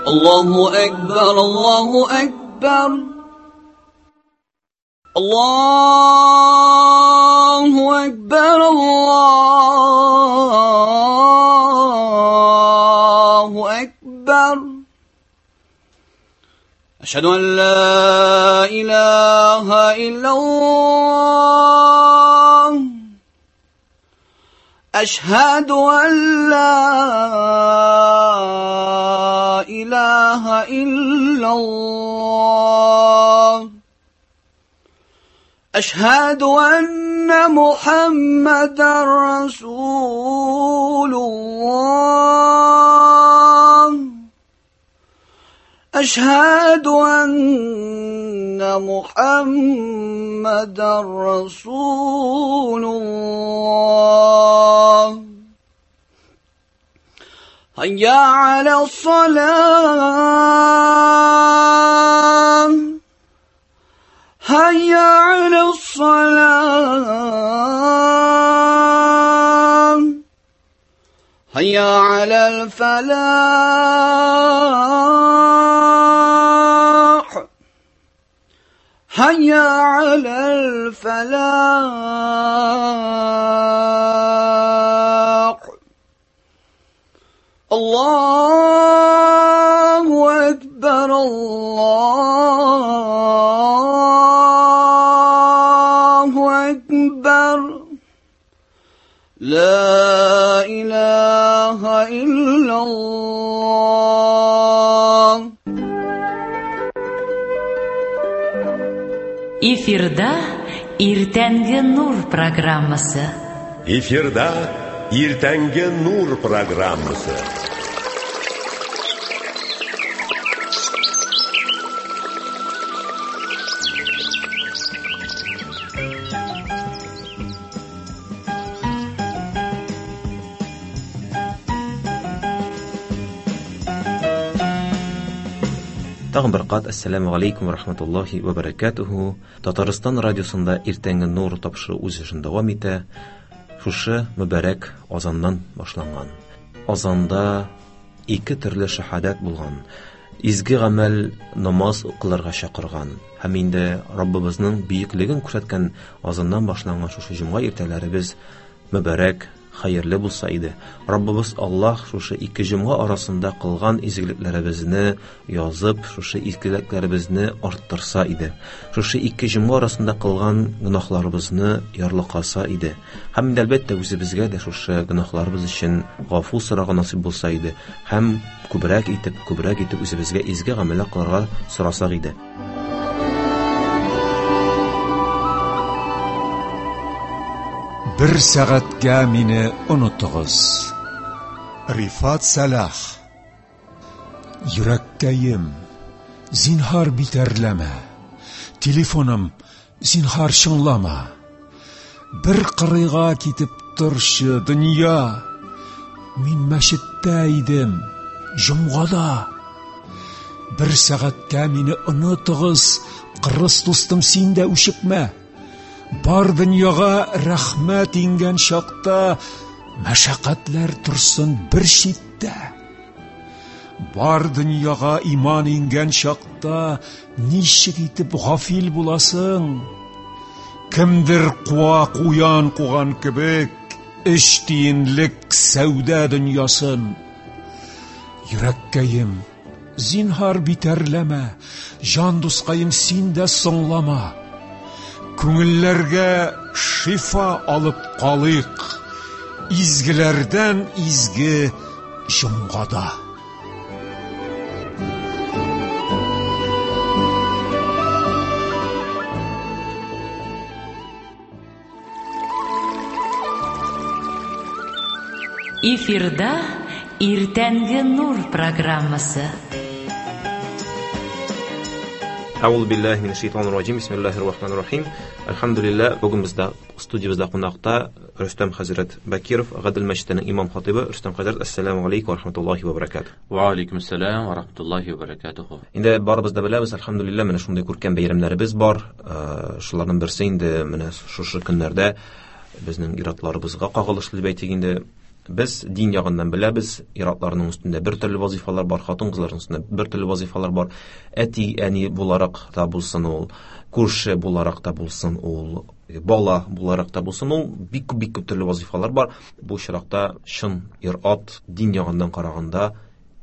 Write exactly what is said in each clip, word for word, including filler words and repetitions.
الله أكبر الله أكبر الله أكبر الله أكبر أشهد أن لا إله إلا الله أشهد أن لا إله إلا الله أشهد أن محمدا رسول الله أشهد أن محمدا رسول الله هيا على الصلاة هيا على الصلاة هيا على الفلاح هيا على الفلاح الله أكبر الله أكبر لا إله إلا الله. Эфирда Иртәнге Нур программасы. Эфирда Иртәнге Нур программасы. Тагын бер кат ассаламу алейкум ва рахматуллахи ва баракатуху. Татарстан радиосында Иртәнге Нур тапшыруы үз эшен дәвам итә. Шушы мөбарәк азаннан башланган. Азанда ике төрле шаһадәт булган. Изге гамәл намаз укылырга чакырган һәм инде Раббыбызның бөеклеген күрсәткән азаннан башланган шушы җомга иртәләребез мөбарәк, хәерле булса иде. Раббыбыз Аллаһ шушы ике җомга арасында кылган изгелекләребезне язып, шушы изгелекләребезне арттырса иде. Шушы ике җомга арасында кылган гөнаһларыбызны ярлыкаса иде. Һәм инде әлбәттә үзебезгә дә шушы гөнаһларыбыз өчен гафу сорарга насыйп булса иде. Һәм күбрәк итеп, күбрәк итеп үзебезгә изге гамәлләр кылырга сорасак иде. Бер сәгатькә мине онытыгыз. Рифат Сәлах. Йөрәккәем, зинһар битәрләмә. Телефоным, зинһар чыңлама. Бер кырыйга китеп торчы, дөнья. Мин мәчеттә идем, җомгада. Бер сәгатькә мине онытыгыз, кырыс дустым, син дә үчекмә. Бар дөньяга рәхмәт иңгән чакта, мәшәкатьләр торсын бер читтә. Бар дөньяга иман иңгән чакта, ничек итеп гафил буласың? Кемдер куа куян куган кебек, өч тиенлек сәүдә дөньясын. Йөрәккәем, зинһар битәрләмә, җан дускаем, син дә соңлама. Күңелләргә шифа алып калыйк, изгеләрдән изге җомгада. Эфирда Иртәнге Нур программасы. Әгъузу биллаһи минәш шайтанир раҗим. Бисмиллаһир рахманир рахим. Әлхәмдүлилләһ, бүген бездә студиябездә кунакта Рөстәм хәзрәт Бакиров, Гадел мәчетенең имам хатибы. Рөстәм хәзрәт, ассаламу алейкум ва рахматуллаһи ва баракатуһ. Ва алейкум ассалам ва рахматуллаһи ва баракатуһ. Инде барыбыз да беләбез, әлхәмдүлилләһ, менә шундый күркәм бәйрәмнәребез бар. Шуларның берсе инде менә шушы көннәрдә безнең иратларыбызга кагылышлы дип әйтик инде, Без дин ягыннан беләбез, ир-атларның өстендә бер төрле вазифалар бар, хатын-кызларның өстендә бер төрле вазифалар бар. Әти, әни буларак та булсын ул, күрше буларак та булсын ул, бала буларак та булсын ул, бик күп, бик күп төрле вазифалар бар. Бу очракта чын ир-ат дин ягыннан караганда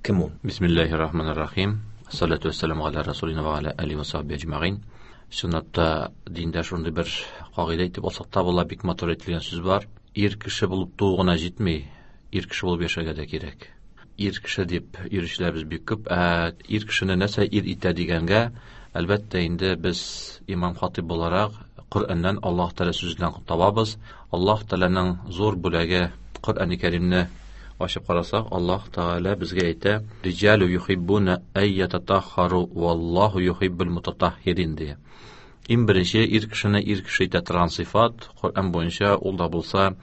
кем ул? Бисмиллахир-рахманир-рахим. Салату вассаламу аля расулина ва аля алихи ва сахби аджмаин. Чынлап та диндә шундый бер кагыйдә әйтеп алсак та була, бик матур әйтелгән сүз бар. Ир кеше булып туу гына җитми, ир кеше булып яшәргә дә кирәк. Ир кеше дип йөрүчеләребез бик күп. Ә ир кешене нәрсә ир итә дигәнгә, әлбәттә инде без имам хатиб буларак Коръәннән, Аллаһ Тәгалә сүзеннән табабыз. Аллаһ Тәгаләнең зур бүләге Коръән-и Кәримне ачып карасак, Аллаһ Тәгалә безгә әйтә: "Риҗалу юхиббуна ай ятатаххару валлаху юхиббул мутатаххирин" дия. Иң беренче ир кешене ир кеше итә торган сыйфат Коръән буенча ул да булса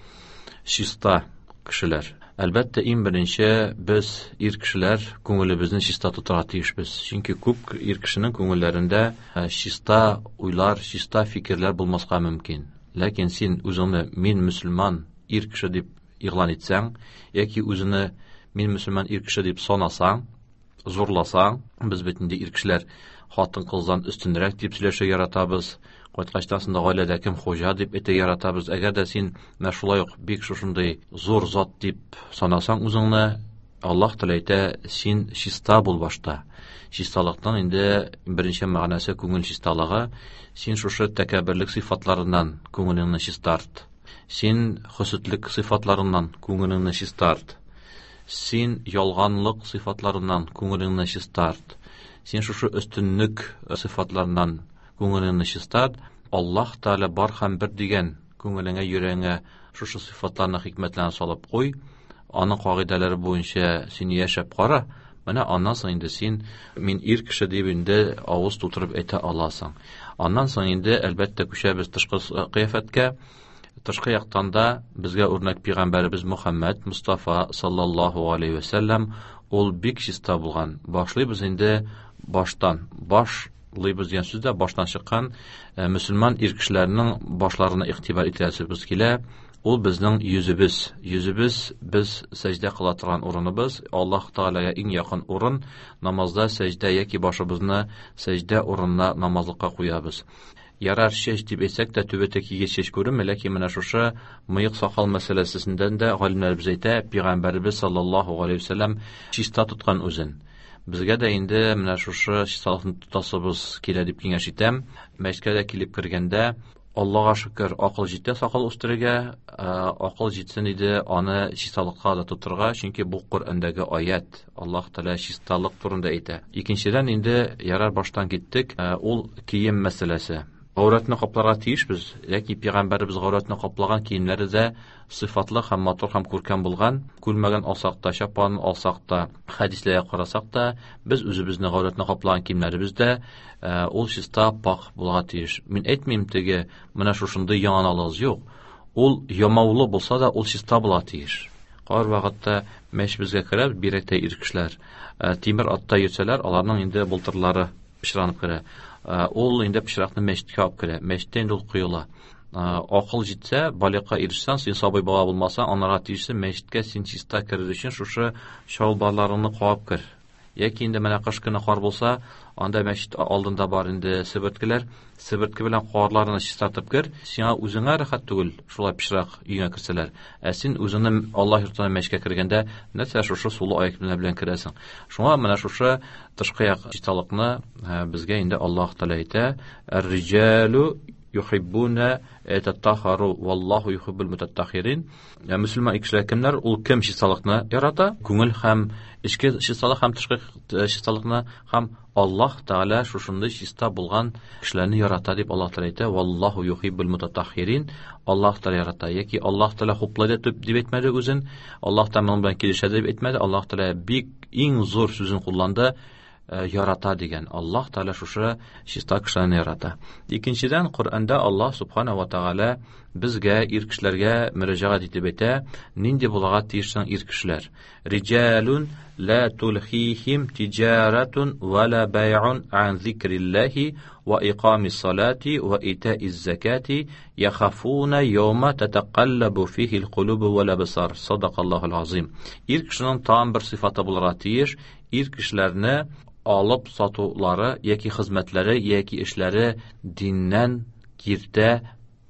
чиста кешеләр. Әлбәттә, иң беренче без ир кешеләр күңелебезне чиста тотарга тиешбез. Чөнки күп ир кешенең күңелләрендә чиста уйлар, чиста фикерләр булмаска мөмкин. Ләкин син үзеңне мин мөселман ир кеше дип игълан итсәң, яки үзеңне мин мөселман ир кеше дип санасаң, зурласаң, без бит инде ир кешеләр хатын-кыздан өстенрәк дип сөйләшә яратабыз. Кайткачтан соң да гаиләдә кем хуҗа дип әйтә яратабыз. Әгәр дә син менә шулай ук бик шушындый зур зат дип санасаң үзеңне, Аллаһ Тәгалә әйтә, син чиста бул башта. Чисталыктан инде беренче мәгънәсе күңел чисталыгы. Син шушы тәкәбберлек сыйфатларыннан күңелеңне чистарт. Син хөсетлек сыйфатларыннан күңелеңне чистарт. Син ялганлык сыйфатларыннан күңелеңне чистарт. Син шушы өстенлек сыйфатларыннан күңелеңне чистарт. Аллаһ Тәгалә бар һәм бер дигән күңелеңә, йөрәгеңә шушы сыйфатларны, хикмәтләрне салып куй. Аның кагыйдәләре буенча син яшәп кара. Менә аннан соң инде син мин ир кеше дип инде авыз тутырып әйтә аласың. Аннан соң инде әлбәттә күчәбез тышкы кыяфәткә. Тышкы яктан да безгә үрнәк пәйгамбәребез Мухаммад Мустафа саллаллаһу алейхи ва саллям ул бик чиста булган. Башлыйбыз инде баштан. Башлыйбыз дигән сүз дә баштан чыккан мөселман ир кешеләренең башларына игътибар итәсебез килә. Ул безнең йөзебез. Йөзебез без сәҗдә кыла торган урыныбыз. Аллаһ Тәгаләгә иң якын урын намазда сәҗдә яки башыбызны сәҗдә урынына намазлыкка куябыз. Ярар чәч дип әйтсәк тә түбәтә кигән чәч күренми, ләкин менә шушы мыек сакал мәсьәләсендә дә галимнәребез әйтә, пәйгамбәребез саллаллаһу алейхи ва саллям чиста тоткан үзен. Безгә дә инде менә шушы чисталыкны тотасыбыз килә дип киңәш итәм. Мәчеткә дә килеп кергәндә Аллаһка шөкер, акыл җитә сакал үстерергә, акыл җитсен иде аны чисталыкка да тотырга, чөнки бу Коръәндәге аят, Аллаһ Тәгалә чисталык турында әйтә. Икенчедән инде ярар баштан киттек, ул кием мәсьәләсе. Гаурәтне капларга тиешбез, яки пәйгамбәребез гаурәтне каплаган киемнәре дә сыйфатлы һәм матур һәм күркәм булган. Күлмәген алсак та, чапанын алсак та, хәдисләргә карасак та, без үзебезне гаурәтне каплаган киемнәребез дә ул чиста, пак булырга тиеш. Мин әйтмим теге, менә шушындый яңан алыгыз, юк. Ул ямаулы булса да, ул чиста була тиеш. Кар вакытта мәчет безгә керә, бигрәк тә ир кешеләр, тимер атта йөрсәләр, аларның инде былтырлары пычранып керә. Ул инде пычракны мәчеткә алып керә. Мәчеттә инде ул коела. Акыл җитсә, балигъка ирешсәң, син сабый бала булмасаң, анарга тиешсең, мәчеткә син чиста керер өчен шушы чалбарларыңны куап кер. Яки инде менә кыш көне кар булса, анда мәчет алдында бар инде себерткеләр, себертке белән карларны чистартып кер. Сиңа үзеңә рәхәт түгел, шулай пычрак өеңә керсәләр. Ә син үзеңне Аллаһ йортына мәчеткә кергәндә нәрсә шушы сулы аяк белән керәсең. Шуңа менә шушы тышкы як чисталыкны безгә инде Аллаһ Тәгалә әйтә: "Ар-риҗалу юхиббуна ататахару валлаху юхиббул мутаттахирин". Мөселман кешеләр кемнәр? Ул кем чисталыкны ярата? Күңел һәм эчке чисталык һәм тышкы чисталыкны һәм Аллаһ Тәгалә шушындый чиста булган кешеләрне ярата дип Аллаһ Тәгалә әйтә: "Валлаху юхиббул мутаттахирин". Аллаһ Тәгалә ярата. Яки Аллаһ Тәгалә хуплайды дип әйтмәде үзен, Аллаһ Тәгалә моның белән килешә дип әйтмәде. Аллаһ Тәгалә бик иң зур сүзен кулланды: ярата дигән. Аллаһ Тәгалә шушы чиста кешеләрне ярата. Икенчедән, Коръәндә Аллаһ Субхана ва Тәгалә безгә, ир кешеләргә мөрәҗәгать итеп әйтә, нинди булырга тиеш соң ир кешеләр? Риҗалун ла тулхихим тиҗаратун ва ла бай'ун ан зикриллаһи ва иқамис салати ва итаиз закати яхафуна яума татақаллабу фихил кулубу вал абсар. Садакаллахул азим. Ир кешенең тагын бер сыйфаты булырга тиеш, ир кешеләрне алып сатулары яки хезмәтләре яки эшләре диннән киртә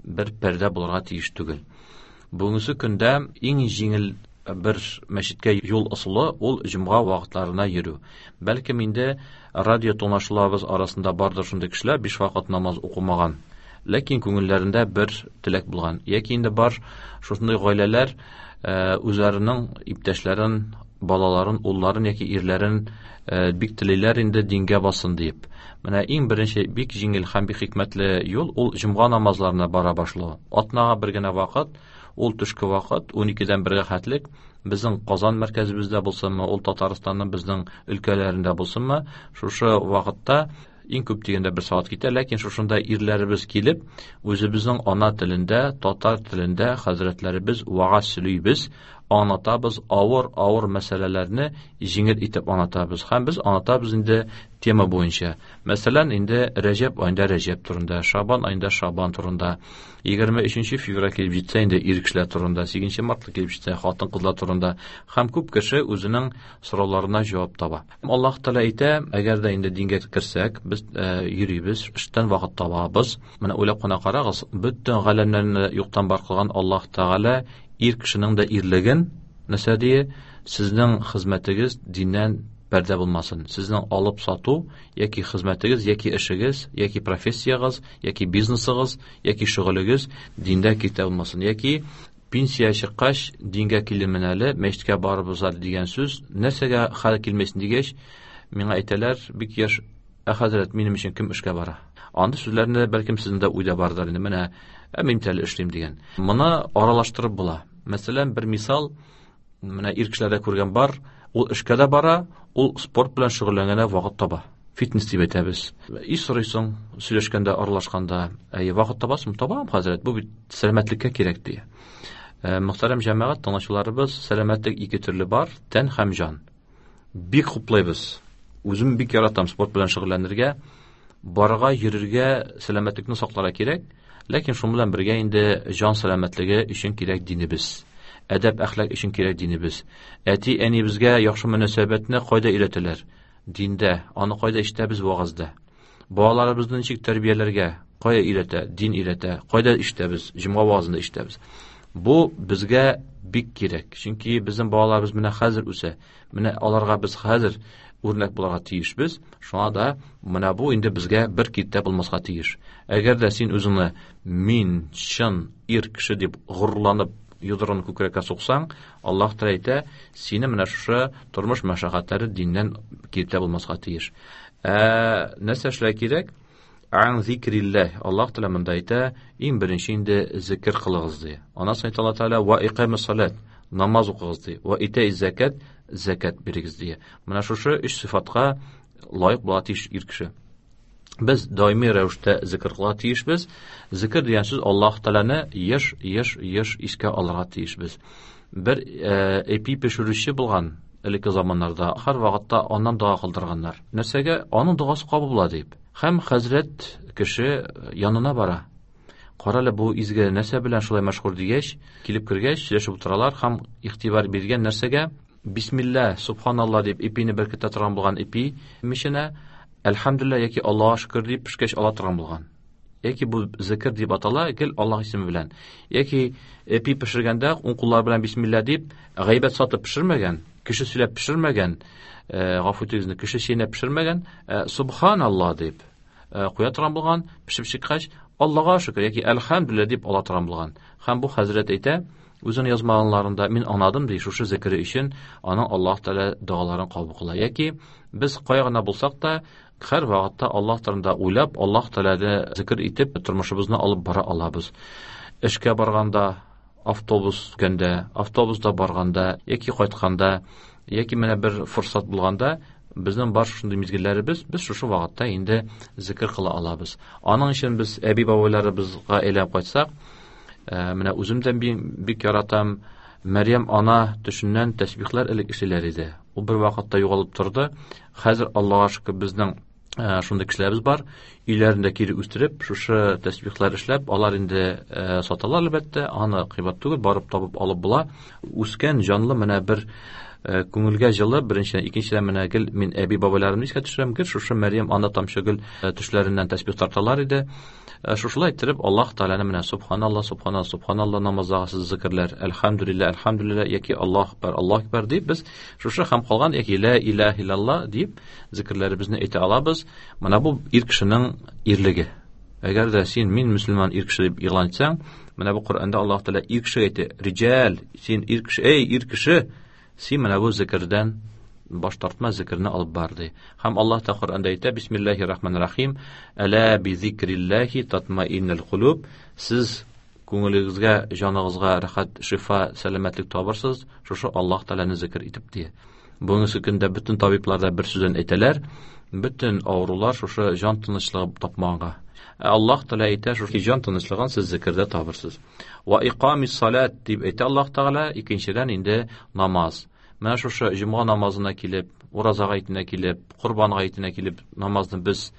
бер пәрдә булырга тиеш түгел. Бүгенге көндә иң җиңел бер мәчеткә юл ысулы ул җомга вакытларына йөрү. Бәлкем инде радио тыңлаучыларыбыз арасында бардыр шундый кешеләр биш вакыт намаз укымаган, ләкин күңелләрендә бер теләк булган. Яки инде бар шундый гаиләләр үзләренең иптәшләрен, балаларын, улларын яки ирләрен бик телиләр инде дингә бассын дип. Менә иң беренче бик җиңел һәм бик хикмәтле юл ул җомга намазларына бара башлау. Атнага бер генә вакыт, ул төшке вакыт уникедән бергә хәтлек безнең Казан мәркәзебездә булсынмы, ул Татарстанның безнең өлкәләрендә булсынмы, шушы вакытта иң күп дигәндә бер сәгать китә, ләкин шушында ирләребез килеп, үзебезнең ана телендә, татар телендә хәзрәтләребез вагаз сөйлибез, аңлатабыз, авыр-авыр мәсьәләләрне җиңел итеп аңлатабыз. Һәм без аңлатабыз инде тема буенча. Мәсәлән, инде Рәҗәб аенда Рәҗәб турында, Шабан аенда Шабан турында, егерме өченче февраль килеп җитсә инде ир кешеләр турында, сигезенче март килеп җитсә хатын-кызлар турында, һәм күп кеше үзенең сорауларына җавап таба. Аллаһ Тәгалә әйтә, әгәр дә инде дингә керсәк, без йөрибез, эштән вакыт табабыз. Менә уйлап кына карагыз, бөтен галәмнәрне юктан бар кылган Аллаһ Тәгалә ир кешенең дә ирлеген нәрсә дие, сезнең хезмәтегез диннән пәрдә булмасын. Сезнең алып сату яки хезмәтегез, яки эшегез, яки профессиягез, яки бизнесыгыз, яки шөгылегез диндә киртә булмасын. Яки пенсия чыккач дингә килермен әле, мәчеткә барыбыз әле дигән сүз нәрсәгә хәл килмәсен дигәч, миңа әйтәләр, бик яшь, ә хәзрәт, минем өчен кем эшкә бара? Андый сүзләрне бәлкем сезнең дә уйда бардыр инде, менә ә мин әле эшлим дигән. Моны аралаштырып була. Мәсәлән, бер мисал, менә ир кешеләрдә күргән бар, ул эшкә дә бара, ул спорт белән шөгыльләнгәндә вакыт таба. Фитнес дип әйтәбез. И сорыйсың, сөйләшкәндә, аралашканда, әй, вакыт табасың, табам, хәзрәт, бу бит сәламәтлеккә кирәк ди. Мөхтәрәм җәмәгать, тыңлаучыларыбыз, сәламәтлек ике төрле бар, тән һәм җан. Бик хуплыйбыз. Үзем бик яратам спорт белән шөгыльләнергә, барырга, йөрергә, сәламәтлекне сакларга кирәк. Ләкин шуның белән бергә инде җан сәламәтлеге өчен кирәк динебез. Әдәп, әхлак өчен кирәк динебез. Әти-әнибезгә яхшы мөнәсәбәтне кайда өйрәтәләр? Диндә. Аны кайда ишетәбез? Вагазда. Балаларыбызны ничек тәрбияләргә? Кая өйрәтә? Дин өйрәтә. Кайда ишетәбез? Җомга вагазында ишетәбез. Бу безгә бик кирәк. Чөнки безнең балаларыбыз менә хәзер үсә. Менә аларга без хәзер үрнәк булырга тиешбез. Шуңа да менә бу инде безгә бер киртә булмаска тиеш. Әгәр дә син үзеңне мин чын ир кеше дип горурланып йодрыгын күкрәккә суксаң, Аллаһ Тәгалә әйтә, сине менә шушы тормыш мәшәкатьләре диннән киртә булмаска тиеш. Ә нәрсә эшләргә кирәк? Ан зикрилләһ. Аллаһ Тәгалә монда әйтә, иң беренче инде зикр кылыгыз ди. Аннан соң әйтә Аллаһ Тәгалә ва икамис салат, намаз укыгыз ди. Ва итаиз закат, закат бирегез ди. Менә шушы өч сыйфатка лаек була тиеш ир кеше. Без даими рәвештә зикр кыла тиешбез. Зикр дигән сүз Аллаһ Тәгаләне еш, еш, еш искә алырга тиешбез. Бер эпи пешерүче булган элекке заманнарда һәр вакытта аннан дога кылдырганнар. Нәрсәгә? Аның догасы кабул була дип. Һәм хәзрәт кеше янына бара. Карале, бу изге нәрсә белән шулай мәшһүр дигәч, килеп кергәч, сөйләшеп утыралар һәм игътибар биргән нәрсәгә Бисмилла, субханалла дип ипине беркетә торган булган ипи миченә Әлхәмдүлилләһ яки Аллаһка шөкер дип пешкәч ала торган булган. Яки бу зикр дип атала, гел Аллаһ исеме белән. Яки эпи пешергәндә уң куллар белән бисмилла дип гайбәт сатып пешермәгән, кеше сөйләп пешермәгән, гафу итегез, кеше чәйнәп пешермәгән, субханалла дип куя торган булган, пешеп чыккач Аллаһка шөкер яки әлхәмдүлилләһ дип ала торган булган. Һәм бу хәзрәт әйтә, үзенең язмаларында мин аңладым ди, шушы зикре өчен аның Аллаһ Тәгалә догаларын кабул кыла. Яки без кая гына булсак та, һәр вакытта Аллаһ турында уйлап, Аллаһ Тәгаләне зикр итеп тормышыбызны алып бара алабыз. Эшкә барганда, автобус көндә, автобуста барганда, яки кайтканда, яки менә бер форсат булганда Безнең бар шундый мизгелләребез, без шушы вакытта инде зикр кыла алабыз. Аның өчен без әби бабайларыбызга әйләнеп кайтсак, менә үзем дә бик яратам. Мәрьям ана төшеннән тәсбихләр элек эшләр иде. Ул бер вакытта югалып торды. Хәзер Аллаһка шөкер, безнең шундый кешеләребез бар. Өйләрендә кире үстереп, шушы тәсбихләр эшләп, алар инде саталар әлбәттә, аны кыйбат түгел, барып табып алып була. Үскән җанлы менә бер күңелгә җылы, беренчедән, икенчедән менә гел мин әби бабайларымны искә төшерәм, гел шушы Мәрьям ана тамчы гөл төшләреннән тәсбих тарталар иде. Шушылай иттереп Аллаһ Тәгаләне менә субханаллаһ, субханаллаһ, субханаллаһ намаздагы сез зикрләр, әлхәмдүлилләһ, әлхәмдүлилләһ яки Аллаһ акбар, Аллаһ акбар дип без шушы һәм калган яки ла илаһ иллаллаһ дип зикрләребезне әйтә алабыз. Менә бу ир кешенең ирлеге. Әгәр дә син мин мөселман ир кеше дип игълан итсәң, менә бу Коръәндә Аллаһ Тәгалә ир кешегә әйтә: "Риҗал, син ир кеше, эй ир кеше, син менә бу зикрдән баш тартма, зикрне алып бар" ди. Һәм Аллаһ та Коръәндә әйтә: "Бисмиллаһир рахманир рахим, әла би зикриллаһи татмаиннул кулуб". Сез күңелегезгә, җаныгызга рәхәт, шифа, сәламәтлек табырсыз, шушы Аллаһ Тәгаләне зикр итеп ди. Бүгенге көндә бөтен табиблар да бер сүздән әйтәләр, бөтен авырулар шушы җан тынычлыгы тапмаганга. Аллаһ Тәгалә әйтә, шушы җан тынычлыгын сез зикрдә табырсыз. Ва иқамис салат дип әйтә Аллаһ Тәгалә, икенчедән инде намаз. Менә шушы җомга намазына килеп, ураза гаетенә килеп, корбан гаетенә килеп намазны без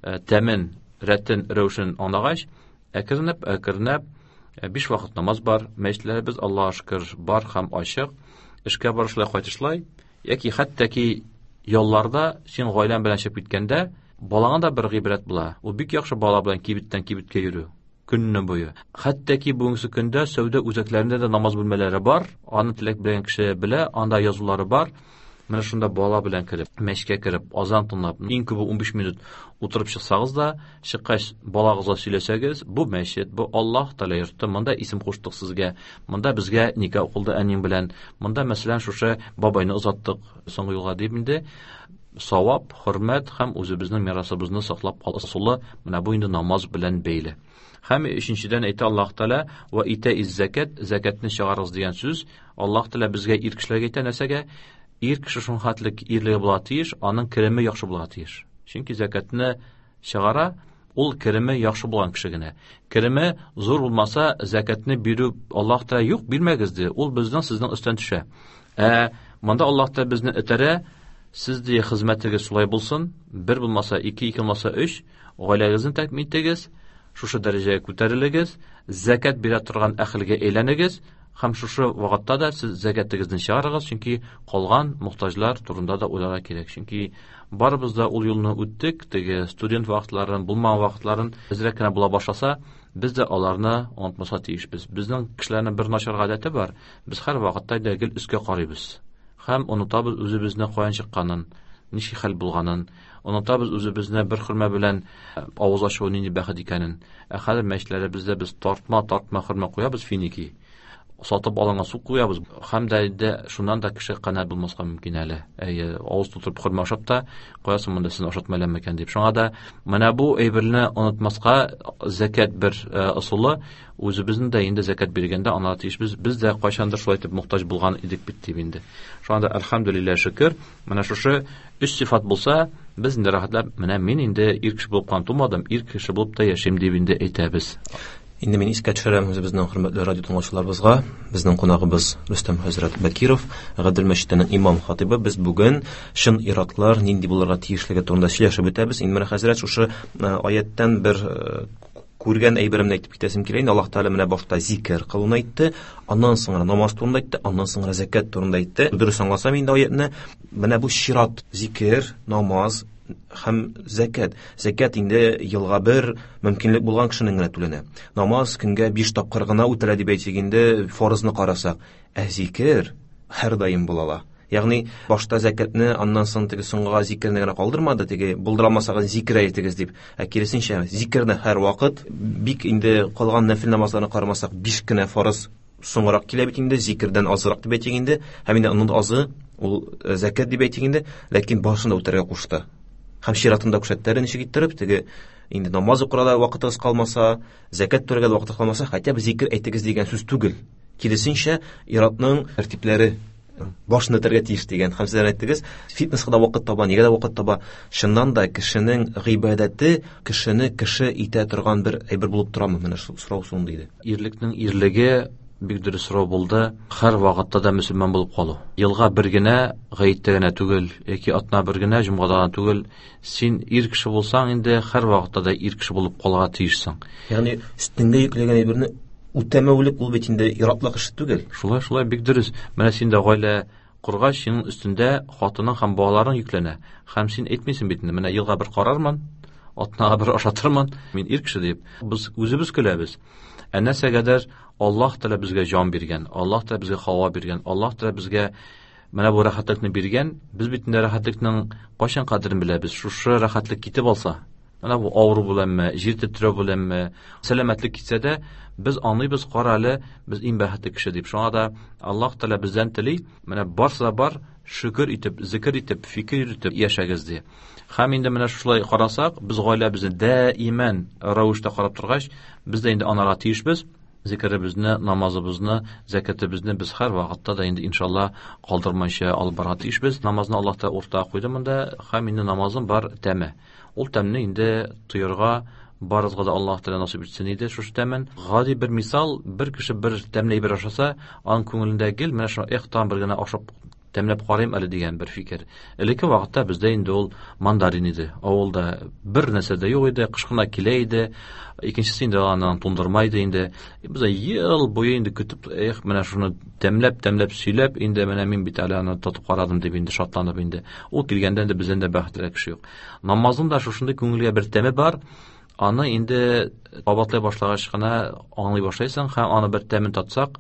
тәмен, рәтен, рәвешен аңлагач, әкренләп, әкренләп биш вакыт намаз бар, мәчетләребез Аллаһка шөкер бар һәм ачык, эшкә барышлай, кайтышлай, яки хәтта ки ялларда син гаиләң белән чыгып киткәндә, балаңа да бер гыйбрәт була. Ул бик яхшы бала белән кибеттән кибеткә йөрү көнне буе. Хәтта ки бүгенге көндә сәүдә үзәкләрендә дә намаз бүлмәләре бар. Аны теләк белгән кеше белә, анда язулары бар. Менә шунда бала белән кереп, мәчеткә кереп, азан тыңлап, иң күбе унбиш минут утырып чыксагыз да, чыккач балагызга сөйләсәгез, бу мәчет, бу Аллаһ Тәгалә йорты, монда исем куштык сезгә, монда безгә никах укылды әниң белән, монда мәсәлән шушы бабайны озаттык соңгы юлга дип инде савап, хөрмәт һәм үзебезнең мирасыбызны саклап калу ысулы менә бу инде намаз белән бәйле. Һәм өченчедән әйтә Аллаһ Тәгалә: "Ва итаиз закат", закатны чыгарыгыз дигән сүз. Аллаһ Тәгалә безгә ир кешеләргә әйтә нәрсәгә? Ир кеше шунхатлык ирлеге була тиеш, аның кереме яхшы була тиеш. Чөнки закатны чыгара ул кереме яхшы булган кеше генә. Кереме зур булмаса, закатны бирү Аллаһ Тәгалә юк, бирмәгез ди. Ул безнең сезнең өстән төшә. Ә монда Аллаһ Тәгалә безне этәрә, сез ди хезмәтегез шулай булсын, бер булмаса ике, ике булмаса өч, гаиләгезне тәэмин итегез, шушы дәрәҗәгә күтәрелегез, закат бирә торган әһелгә әйләнегез һәм шушы вакытта да сез закатыгызны чыгарыгыз, чөнки калган мохтаҗлар турында да уйларга кирәк. Чөнки барыбыз да ул юлны үттек, теге студент вакытларын, булмаган вакытларын әзрәк кенә була башласа, без дә аларны онытмаска тиешбез. Безнең кешеләрнең бер начар гадәте бар, без һәр вакытта да гел өскә карыйбыз һәм онытабыз үзебезне каян чыкканын, ничек хәл булганын, онытабыз үзебезне бер хөрмә белән авыз ачу нинди бәхет икәнен. Ә хәзер мәчетләребездә без тартма-тартма хөрмә куябыз, финики сатып алынган су куябыз. Һәм дә инде шуннан да кеше канәгать булмаска мөмкин әле. Әйе, авыз тутырып хөрмә ашап та куясың, монда син ашатмайлар микән дип. Шуңа да менә бу әйберне онытмаска закат бер ысулы, үзебезнең дә инде закат биргәндә аңларга тиешбез. Без дә кайчандыр шулай итеп мохтаҗ булган идек бит дип инде. Шуңа да әлхәмдүлилләһ шөкер, менә шушы өч сыйфат булса, без инде рәхәтләп, менә мин инде ир кеше булып кан тумадым, ир кеше булып та яшим дип инде әйтәбез. Инде мин искә төшерәм үзебезнең хөрмәтле радио тыңлаучыларыбызга, безнең кунагыбыз Рөстәм хәзрәт Бакиров, Гадел мәчетенең имам хатибы. Без бүген чын ир-атлар нинди булырга тиешлеге турында сөйләшеп үтәбез. Инде менә хәзрәт шушы аяттан бер күргән әйберемне әйтеп китәсем килә. Инде Аллаһ Тәгалә менә башта зикер кылуны әйтте, аннан соң намаз турында әйтте, аннан соң закат турында әйтте. Дөрес аңласам инде аятны, менә бу чират зикер, намаз һәм закат. Закат инде елга бер мөмкинлек булган кешенең генә түләнә. Намаз көнгә биш тапкыр гына үтелә дип әйтсәк инде, фарызны карасак. Ә зикер һәр даим була ала. Ягъни башта закатны, аннан соң теге соңгыга зикерне генә калдырмады, теге булдыра алмасагыз зикер әйтегез дип. Ә киресенчә, зикерне һәр вакыт, бик инде калган нәфил намазларны карамасак, биш кенә фарыз соңрак килә бит инде, зикердән азрак дип әйтик инде, һәм инде аның азы ул закат дип әйтик инде, ләкин башында үтәргә кушты. Һәм чиратында күрсәттеләр ничек иттереп, теге инде намаз укырга да вакытыгыз калмаса, закат түләргә дә вакыты калмаса, хотя бы зикер әйтегез дигән сүз түгел. Киресенчә, ир-атның тәртипләре Башын үтәргә тиеш дигән. Һәм сезләр әйттегез, фитнеска да вакыт таба, нигә дә вакыт таба. Чыннан да кешенең гыйбадәте кешене кеше итә торган бер әйбер булып торамы? Менә шул сорау шундый иде. Ирлекнең ирлеге бик дөрес сорау булды. Һәр вакытта да мөселман булып калу. Елга бер генә, гаеттә генә түгел, яки атна бер генә, җомгада гына түгел. Син ир кеше булсаң, инде һәр вакытта да ир кеше булып калырга тиешсең. Ягъни өстеңдә йөкләгән әйберне үтәмәүлек ул бит инде иратлык эше түгел. Шулай, шулай, бик дөрес. Менә син дә гаилә коргач, синең өстендә хатының һәм балаларың йөкләнә. Һәм син әйтмисең бит инде, менә елга бер карармын, атнага бер ашатырмын, мин ир кеше дип. Без үзебез көләбез. Ә нәрсәгәдер Аллаһ Тәгалә безгә җан биргән, Аллаһ Тәгалә безгә һава биргән, Аллаһ Тәгалә безгә менә бу рәхәтлекне биргән. Без бит инде рәхәтлекнең кайчан кадерен беләбез? Шушы рәхәтлек китеп алса, менә бу авыру беләнме, җир тетрәү беләнме, сәламәтлек китсә дә, без аңлыйбыз, кара әле, без иң бәхетле кеше дип. Шуңа да Аллаһ Тәгалә бездән тели, менә барсы да бар, шөкер итеп, зикер итеп, фикер итеп яшәгез ди. Һәм инде менә шулай карасак, без гаиләбезне даимән рәвештә карап торгач, без дә инде анарга тиешбез. Зикеребезне, намазыбызны, зәкәтебезне без һәр вакытта да инде иншалла калдырмайча алып барырга тиешбез. Намазны Аллаһ Тәгалә уртага куйды монда, һәм инде намазның бар тәме. Ул тәмне инде тоярга барыбызга да Аллаһ Тәгалә насыйп итсен иде шушы тәмен. Гади бер мисал, бер кеше бер тәмле әйбер ашаса, аның күңелендә гел менә шуны эх, тагын бер генә ашап тәмләп карыйм әле дигән бер фикер. Элекке вакытта бездә инде ул мандарин иде. Авылда бер нәрсә дә юк иде, кыш кына килә иде. Икенчесе инде аннан туңдырма иде инде. Без ел буе инде көтеп, эх, менә шуны тәмләп, тәмләп сөйләп, инде менә мин бит әле аны татып карадым дип инде шатланып инде. Ул килгәндә инде бездән дә бәхетлерәк кеше юк. Намазның да шушындый күңелгә бер тәме бар. Аны инде кабатлый башлагач кына аңлый башлайсың һәм аны бер тәмен татсак,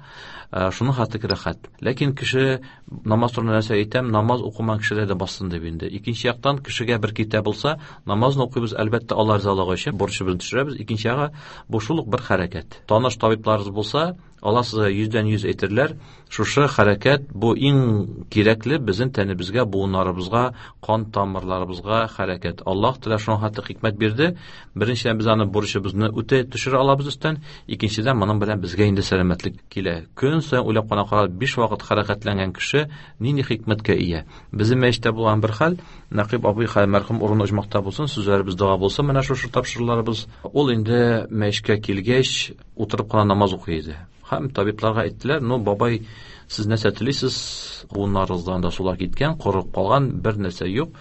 шуның хәтле рәхәт. Ләкин кеше намаз турында нәрсә әйтәм, намаз укымаган кешеләр дә бассын дип инде. Икенче яктан кешегә бер китә булса, намазны укыйбыз, әлбәттә, Алла ризалыгы өчен бурычыбызны төшерәбез. Икенче ягы бу шул ук бер хәрәкәт. Таныш табибларыбыз булса, алар сезгә йөздән йөз әйтерләр, шушы хәрәкәт бу иң кирәкле безнең тәнебезгә, буыннарыбызга, кан тамырларыбызга хәрәкәт. Аллаһ Тәгалә шуның хәтле хикмәт бирде. Беренчедән без аны бурычыбызны үтә төшерә алабыз өстән, икенчедән моның белән безгә инде сәламәтлек килә. Көн саен уйлап кына карап, биш вакыт хәрәкәтләнгән кеше нинди хикмәткә ия. Безнең мәчеттә булган бер хәл, Нәкыйп абый хәл мәрхүм урыны оҗмахта булсын, сүзләребез дога булсын, менә шушы тапшыруларыбыз. Ул инде мәчеткә килгәч, утырып кына намаз укый иде. Һәм табибларга әйттеләр, ну, бабай, сез нәрсә телисез? Буыннарыгыздан да сулар киткән, корып калган, бер нәрсә юк.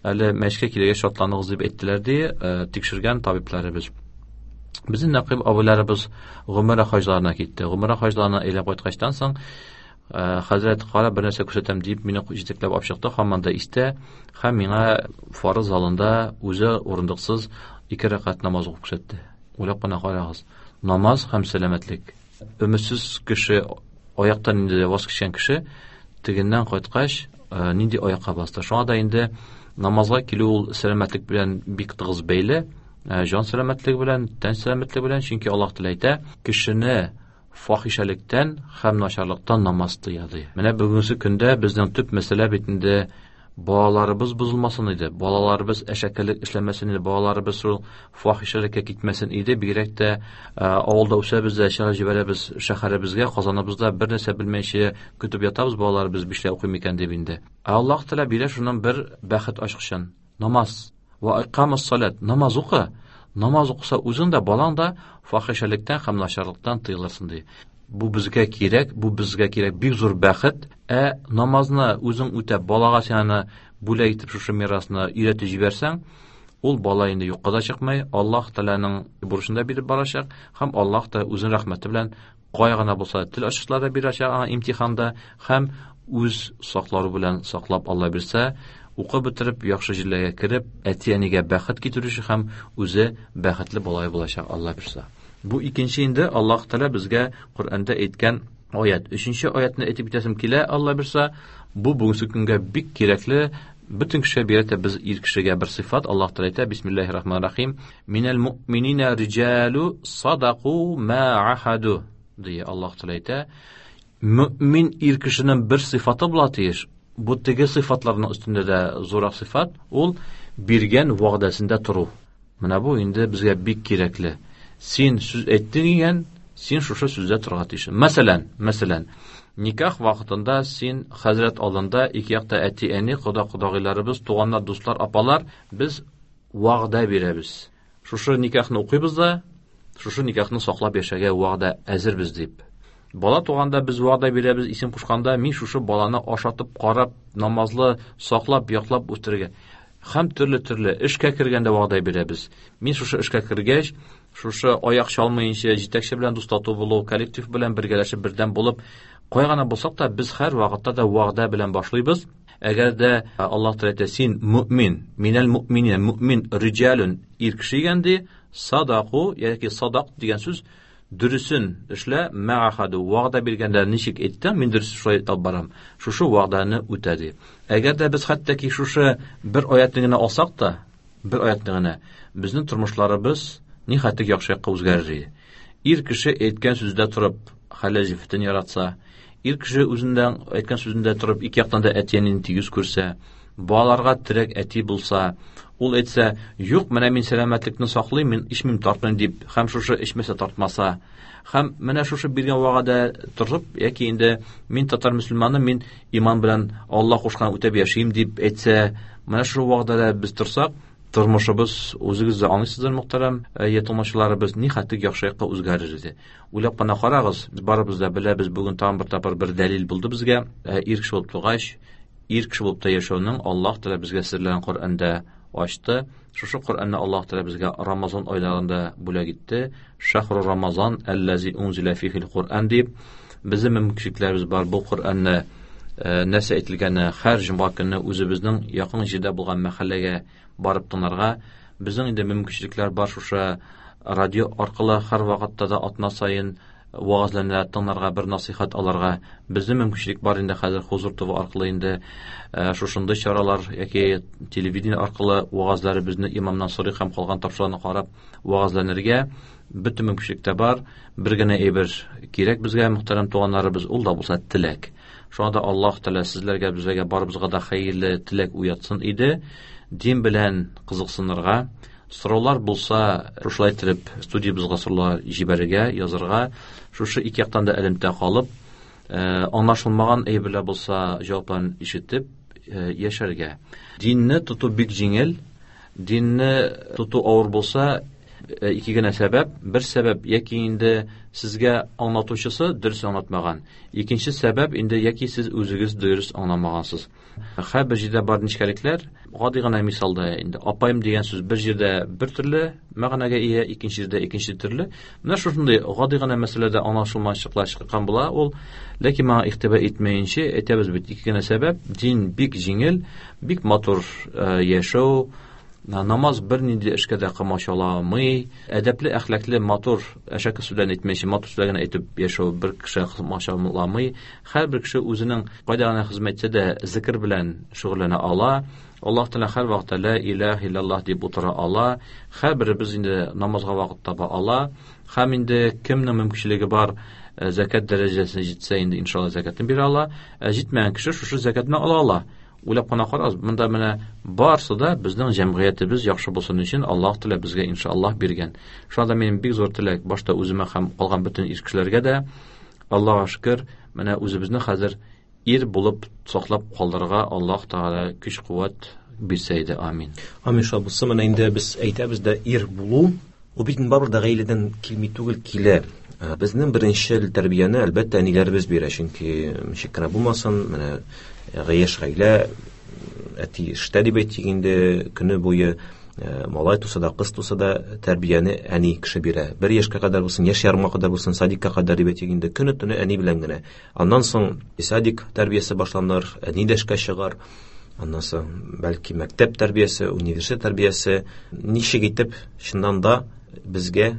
Әле мәчеткә килгәч шатланыгыз дип әйттеләр ди, тикшергән табибларыбыз. Безнең Нәкыйп абыйларыбыз гомрә хаҗларына китте. Гомрә хаҗларына әйләнеп кайткачтан соң, хәзрәт, кара, бер нәрсә күрсәтәм дип мине җитәкләп алып чыкты, һаман да истә, һәм миңа фарыз залында үзе урындыксыз ике рәкать намаз укып күрсәтте. Уйлап кына карагыз. Намаз һәм сәламәтлек. Өметсез кеше, аяктан инде ваз кичкән кеше, тегеннән кайткач, нинди аякка басты. Шуңа да инде намазга килү ул сәламәтлек белән бик тыгыз бәйле, җан сәламәтлеге белән, тән сәламәтлеге белән, чөнки Аллаһ Тәгалә әйтә, кешене фахишәлектән һәм начарлыктан намаз тыя ди. Менә бүгенге көндә безнең төп мәсьәлә бит инде балаларыбыз бозылмасын иде, балаларыбыз әшәкелек эшләмәсен иде, балаларыбыз шул фахишәлеккә китмәсен иде. Бигрәк тә авылда үсәбез дә, чыгарып җибәрәбез шәһәребезгә, Казаныбызда бер нәрсә белмәйчә көтеп ятабыз, балаларыбыз бишле укый микән дип инде. Ә Аллаһ Тәгалә бирә шуннан бер бәхет ачкычын. Намаз. Ва икамус салат. Намаз укы. Намаз укыса үзең дә, балаң да фахишәлектән һәм начарлыктан тыелырсың ди. Бу безгә кирәк, бу безгә кирәк бик зур бәхет. Ә намазны үзең үтәп, балага син аны бүләк итеп шушы мирасны өйрәтеп җибәрсәң, ул бала инде юкка да чыкмый, Аллаһ Тәгаләнең бурычын да биреп барачак һәм Аллаһ та үзенең рәхмәте белән кая гына булса тел ачышлары бирәчәк аңа имтиханда һәм үз саклары белән саклап Алла бирсә, укып бетереп, яхшы җирләргә кереп, әти-әнигә бәхет китерүче һәм үзе бәхетле бала булачак Алла бирсә. Бу икенче инде Аллаһ Тәгалә безгә Коръәндә әйткән аят. Өченче аятны әйтеп китәсем килә, Алла бирсә, бу бүгенге көнгә бик кирәкле, бөтен кешегә бирә дә без ир кешегә бер сыйфат. Аллаһ Тәгалә әйтә, бисмиллаһир рахманир рахим, минәл муъминина риҗалу садаку ма ахаду ди Аллаһ Тәгалә әйтә. Мөмин ир кешенең бер сыйфаты була тиеш. Бу теге сыйфатларның өстендә дә зуррак сыйфат, ул биргән вәгъдәсендә тору. Менә бу инде безгә бик кирәкле. Син сүз әйттең икән, син шушы сүздә торырга тиешсең. Мәсәлән, мәсәлән, Никах вакытында син хәзрәт алдында ике якта әти-әни, кода-кодагыйларыбыз, туганнар, дуслар, апалар, без вәгъдә бирәбез. Шушы никахны укыйбыз да, шушы никахны саклап яшәргә вәгъдә әзербез дип. Бала туганда без вәгъдә бирәбез, исем кушканда мин шушы баланы ашатып, карап, намазлы, саклап, яклап үстерергә. Һәм төрле-төрле эшкә кергәндә вәгъдә бирәбез. Мин шушы эшкә кергәч, шушы аяк чалмыйынча, җитәкче белән дус тату булу, коллектив белән бергәләшеп бердәм булып, кая гына булсак та без һәр вакытта да вәгъдә белән башлыйбыз. Әгәр дә Аллаһ Тәгалә әйтә, син мөмин, минәл мөминин, мөмин риҗалун, ир кеше икән ди, садаку яки садак дигән сүз дөресен эшлә, мәахаду, вәгъдә биргәндә ничек әйттем, мин дөрес шулай алып барам. Шушы вәгъдәне үтә ди. Әгәр дә без хәтта ки шушы бер аятны генә алсак та, бер аятны генә, безнең тормышларыбыз ни хәтле яхшы якка үзгәрер иде. Ир кеше әйткән сүздә торып, хәләл җефетен яратса, ир кеше үзендә әйткән сүзендә торып, ике яктан да әти-әнине тигез күрсә, балаларга терәк әти булса, ул әйтсә, юк, менә мин сәламәтлекне саклыйм, мин эчмим, тартмыйм дип, һәм шушы эчмәсә тартмаса, һәм менә шушы биргән вәгъдә торып, яки инде мин татар мөселманы, мин иман белән Аллаһ кушкан үтәп яшим дип әйтсә, менә шушы вәгъдәдә без торсак, тормышыбыз, үзегез дә аңлыйсыздыр, мөхтәрәм ятылмаучыларыбыз, ни хәтле яхшы якка үзгәрер иде. Уйлап кына карагыз, без барыбыз да беләбез, бүген тагын бер тапкыр бер дәлил булды безгә. Ир кеше булып тугач, ир кеше булып та яшәүнең Аллаһ Тәгалә безгә серләрен Коръәндә ачты. Шушы Коръәнне Аллаһ Тәгалә безгә Рамазан айларында бүләк итте. Шахру Рамазан аллази унзила фихил Коръән дип, безнең мөмкинлекләребез бар бу Коръәнне нәрсә әйтелгәне һәр җомга көнне үзебезнең якын җирдә булган мәхәлләгә барып тыңларга. Безнең инде мөмкинчелекләр бар шушы радио аркылы һәр вакытта да атна саен вагазларны тыңларга, бер насыйхат алырга. Безнең мөмкинчелек бар инде хәзер Хузур ТВ аркылы инде шушындый чаралар яки телевидение аркылы вагазларыбызны имамнан сорый һәм калган тапшыруларны карап вагазланырга бөтен мөмкинчелек тә бар. Бер генә әйбер кирәк безгә, мөхтәрәм туганнарыбыз, ул да булса теләк. Шуңа да Аллаһ Тәгалә сезләргә, безгә, барыбызга да хәерле теләк уятсын иде. Дин белән кызыксынырга, сораулар булса, шушылай итеп студиябызга сораулар җибәрергә, язырга, шушы ике яктан да элемтә калып, аңлашылмаган әйберләр булса, җавапларын ишетеп яшәргә. Динне тоту бик җиңел, динне тоту авыр булса, ике генә сәбәп. Бер сәбәп, яки инде сезгә аңлатучысы дөрес аңлатмаган. Икенче сәбәп, инде яки сез үзегез дөрес аңламагансыз. Һәр бер җирдә бар нечкәлекләр. Гади генә мисалда инде апаем дигән сүз бер җирдә бер төрле мәгънәгә ия, икенче җирдә икенче төрле. Менә шушындый гади генә мәсьәләдә аңлашылмаучылыклар чыккан була ул. Ләкин моңа игътибар итмәенчә әйтәбез бит, ике генә сәбәп. Дин бик җиңел, бик матур яшәү, намаз бер нинди эшкә дә комачауламый, әдәпле, әхлаклы, матур, әшәке сүзләрне әйтмәенчә, матур сүзләр генә әйтеп яшәү бер кеше комачауламый. Һәрбер кеше үзенең кайда гына хезмәт итсә дә зикр белән шөгыльләнә ала. Аллаһ Тәгалә һәр вакытта ла илаһа иллаллаһ дип утыра ала. Һәрберебез инде намазга вакыт таба ала. Һәм инде кемнең мөмкинчелеге бар, зәкят дәрәҗәсенә җитсә, инде иншалла зәкятен бирә ала. Җитмәгән кеше шушы зәкятны ала ала. Уйлап кына карагыз, монда менә барсы да безнең җәмгыятебез яхшы булсын өчен Аллаһ Тәгалә безгә иншаллаһ биргән. Шуңа да минем бик зур теләк, башта үземә һәм калган бөтен ир кешеләргә дә, Аллаһка шөкер, менә үзебезне хәзер ир булып саклап калдырырга Аллаһ Тәгалә көч-куәт бирсә иде. Амин. Амин. Шулай булсын. Менә инде без әйтәбез дә, ир булу ул бит барыбер дә гаиләдән килми түгел, килә. Безнең беренче тәрбияне әлбәттә әниләребез бирә, чөнки ничек кенә булмасын, менә яшь гаилә, әти эштә дип әйтик инде, көне буе малай туса да, кыз туса да тәрбияне әни кеше бирә. Бер яшькә кадәр булсын, яшь ярымга кадәр булсын, садикка кадәр дип әйтик инде, көне төне әни белән генә. Аннан соң садик тәрбиясе башланыр, әни дә эшкә чыгар. Аннан соң бәлки мәктәп тәрбиясе, университет тәрбиясе. Ничек итеп чыннан да безгә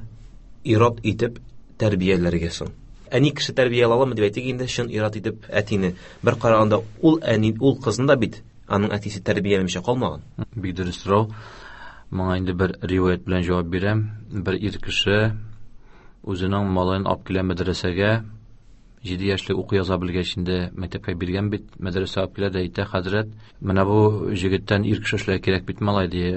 ират итеп тәрбияләргә соң? Әни кеше тәрбия аламы дип әйтик инде, чын ират итеп әтине. Бер караганда ул әни, ул кызны да бит аның әтисе тәрбияләмичә калмаган. Бик дөрес сорау. Моңа инде бер риваять белән җавап бирәм. Бер ир кеше үзенең малаен алып килә мәдрәсәгә, җиде яшьлек уку яза белгәч инде мәктәпкә биргән бит, мәдрәсә алып килә дә әйтә, хәзрәт, менә бу җегеттән ир кеше эшләргә кирәк бит, малай, ди,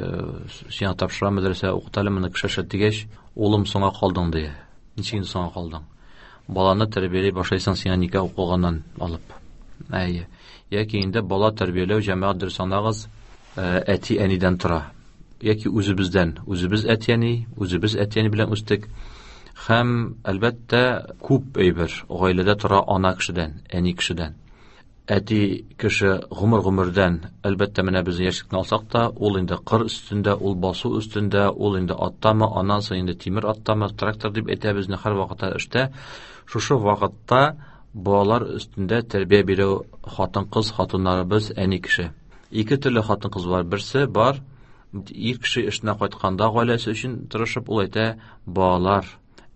сиңа тапшыра мәдрәсә укыта әле моны кеше эшләт дигәч, улым, соңга калдың, ди. Ничек инде соңга калдың? Баланы тәрбияли башлайсың сиңа никах укылганнан алып. Әйе. Яки инде бала тәрбияләү җәмәгать дөрес аңлагыз, әти-әнидән тора. Яки үзебездән, үзебез әти-әни, үзебез әти-әни белән үстек. Һәм әлбәттә күп әйбер гаиләдә тора ана кешедән, әни кешедән. Әти кеше гомер-гомердән, әлбәттә менә без яшьлекне алсак та, ул инде кыр өстендә, ул басу өстендә, ул инде аттамы, аннан соң инде тимер аттамы, трактор дип әйтәбез, һәр вакытта эштә. Шушы вакытта балалар өстендә тәрбия бирү хатын-кыз, хатыннарыбыз, әни кеше. Ике төрле хатын-кыз бар. Берсе бар, ир кеше эшенә кайтканда гаиләсе өчен тырышып, ул әйтә, балалар,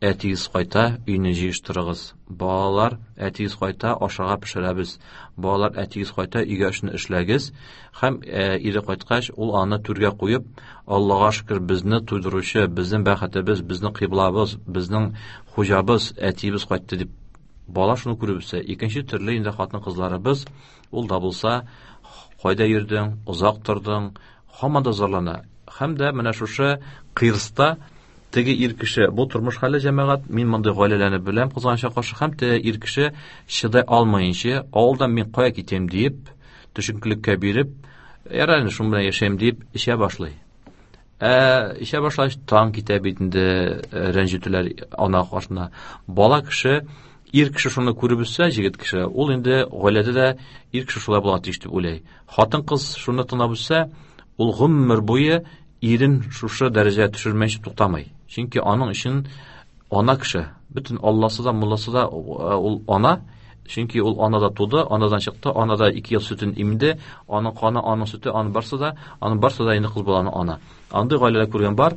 әтигез кайта, өйне җыештырыгыз. Балалар, әтигез кайта, ашарга пешерәбез. Балалар, әтигез кайта, өйгә эшне эшләгез. Һәм ире кайткач, ул аны түргә куеп, Аллага шөкер, безне туйдыручы, безнең бәхетебез, безнең кыйблабыз, безнең хуҗабыз, әтиебез кайтты дип бала шуны күреп үсә. Икенче төрле инде хатын-кызларыбыз, ул да булса, кайда йөрдең, озак тордың, һаман да зарлана. Һәм дә менә шушы кыйрста теге ир кеше, бу тормыш хәле җәмәгать, мин мондый гаиләләрне беләм, кызганычка каршы, һәм теге ир кеше чыдай алмаенча, авылдан мин кая китәм диеп, төшенкелеккә биреп, ярар инде шуның белән яшәйм дип эчә башлый. Ә эчә башлагач, таң китә бит инде, рәнҗетүләр ана каршына. Бала кеше, ир кеше шуны күреп үссә, җегет кеше, ул инде гаиләдә дә ир кеше шулай була тиеш дип уйлый. Хатын-кыз шуны тыңлап үссә, ул гомер буе ирен шушы дәрәҗәгә төшермәенчә туктамый. Чөнки аның өчен ана кеше, бөтен Алласы да, мулласы да ул ана, чөнки ул анада туды, анадан чыкты, анада ике ел сөтен имде, аның каны, аның сөте, аның барсы да, аның барсы да инде кыз баланы ана. Андый гаиләләр күргән бар.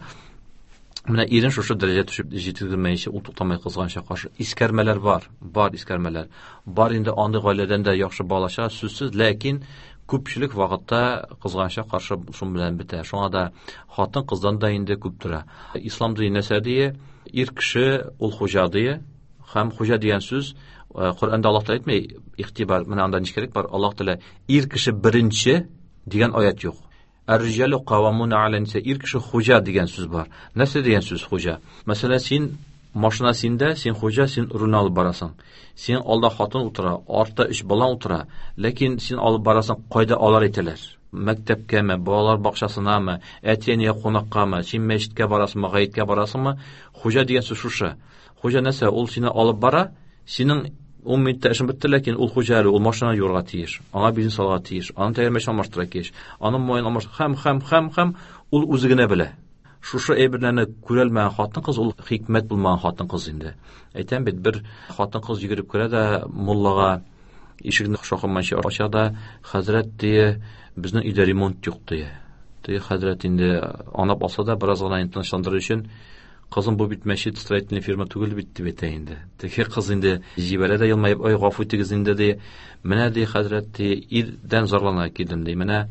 Менә ирен шушы дәрәҗәгә төшеп җиткермәенчә ул туктамый кызганча каршы. Искәрмәләр бар, бар искәрмәләр. Бар инде андый гаиләдән дә яхшы балача, сүзсез, ләкин күпчелек вакытта кызганча каршы шун белән бетә. Шуңа да хатын-кыздан да инде күп тора. Ислам дине нәрсә дие? Ир кеше ул хуҗа дие. Һәм хуҗа дигән сүз Коръәндә Аллаһ Тәгалә әйтми, игътибар, менә анда ничек бар? Аллаһ Тәгалә ир кеше беренче дигән аят юк. Ар-риҗалу кавамуна аля ниса, ир кеше хуҗа дигән сүз бар. Нәрсә дигән сүз хуҗа? Мәсәлән, син машина синдә, син хуҗа, син рульне алып барасың. Син алда хатын утыра, артта өч бала утыра, ләкин син алып барасың, кайда алар әйтәләр? Мәктәпкәме, балалар бакчасынамы, әти-әнигә кунаккамы, син мәчеткә барасыңмы, гаеткә барасыңмы? Хуҗа дигән сүз шушы. Хуҗа нәрсә? Ул сине алып бара, синең ун минутта эшең бетте, ләкин ул хуҗа әле, ул машина юрга тиеш, аңа бензин салырга тиеш, аның тәгәрмәчен алмаштырырга тиеш, аның маен алмаштырырга, һәм, һәм, һәм, һәм ул үзе генә белә. Шушы әйберләрне күрәлмәгән хатын-кыз ул хикмәт булмаган хатын-кыз инде. Әйтәм бит, бер хатын-кыз йөгереп керә дә муллага ишекне шакыманча ача да, хәзрәт дие, безнең өйдә ремонт юк дие. Теге хәзрәт инде анап алса да бераз гына инде тынычландырыр өчен, кызым, бу бит мәчет строительный фирма түгел бит дип әйтә инде. Теге кыз инде җибәрә дә елмаеп, ой, гафу итегез инде ди. Менә ди хәзрәт ди, ирдән зарлана килдем ди. Менә